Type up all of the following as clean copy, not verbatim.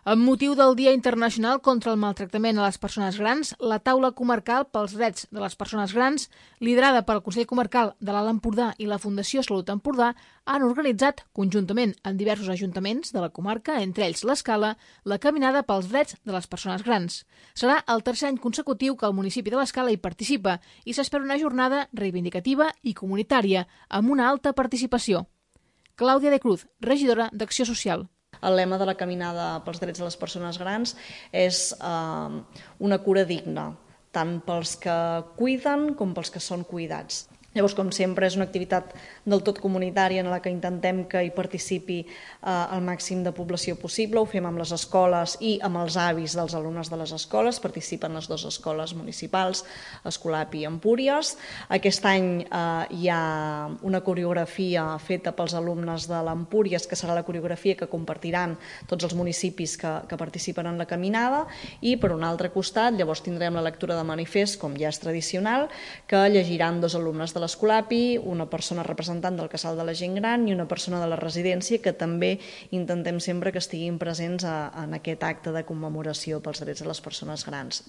Amb motiu del Dia Internacional contra el Maltractament a les Persones Grans, la Taula Comarcal pels Drets de les Persones Grans, liderada pel Consell Comarcal de l'Alt Empordà i la Fundació Salut Empordà, han organitzat, conjuntament amb diversos ajuntaments de la comarca, entre ells l'Escala, la Caminada pels Drets de les Persones Grans. Serà el tercer any consecutiu que el municipi de l'Escala hi participa i s'espera una jornada reivindicativa i comunitària, amb una alta participació. Clàudia de Cruz, regidora d'Acció Social. El lema de la Caminada pels Drets de les Persones Grans és una cura digna, tant pels que cuiden com pels que són cuidats. Llavors, com sempre, és una activitat del tot comunitària en la que intentem que hi participi el màxim de població possible. Ho fem amb les escoles i amb els avis dels alumnes de les escoles. Participen les dues escoles municipals, Escolapi i Empúries. Aquest any hi ha una coreografia feta pels alumnes de l'Empúries, que serà la coreografia que compartiran tots els municipis que participen en la caminada. I, per un altre costat, llavors tindrem la lectura de manifest, com ja és tradicional, que llegiran dos alumnes de l'Escolapi, una persona representant del Casal de la Gent Gran i una persona de la residència, que també intentem sempre que estiguin presents en aquest acte de commemoració pels drets de les persones grans.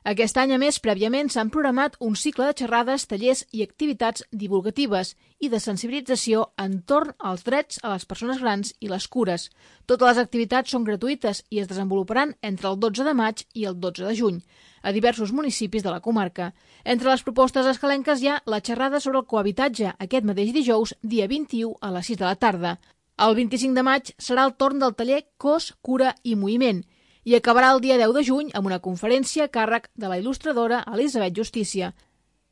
Aquest any, a més, prèviament s'han programat un cicle de xerrades, tallers i activitats divulgatives i de sensibilització entorn als drets a les persones grans i les cures. Totes les activitats són gratuïtes i es desenvoluparan entre el 12 de maig i el 12 de juny, a diversos municipis de la comarca. Entre les propostes escalenques hi ha la xerrada sobre el cohabitatge aquest mateix dijous, dia 21, a les 6 de la tarda. El 25 de maig serà el torn del taller Cos, Cura i Moviment, i acabarà el dia 10 de juny amb una conferència a càrrec de la il·lustradora Elisabet Justícia.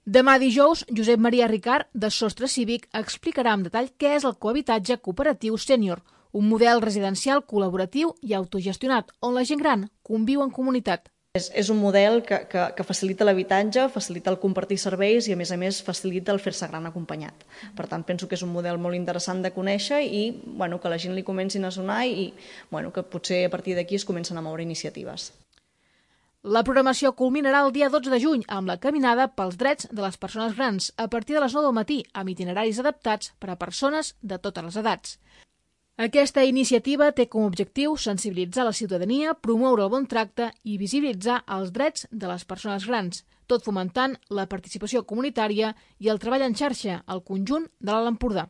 Demà dijous, Josep Maria Ricard, de Sostre Cívic, explicarà amb detall què és el cohabitatge cooperatiu sènior, un model residencial col·laboratiu i autogestionat on la gent gran conviu en comunitat. És un model que facilita l'habitatge, facilita el compartir serveis i, a més, facilita el fer-se gran acompanyat. Per tant, penso que és un model molt interessant de conèixer i que la gent li comencin a sonar i que potser a partir d'aquí es comencen a moure iniciatives. La programació culminarà el dia 12 de juny amb la Caminada pels Drets de les Persones Grans a partir de les 9 del matí, amb itineraris adaptats per a persones de totes les edats. Aquesta iniciativa té com a objectiu sensibilitzar la ciutadania, promoure el bon tracte i visibilitzar els drets de les persones grans, tot fomentant la participació comunitària i el treball en xarxa al conjunt de l'Alt Empordà.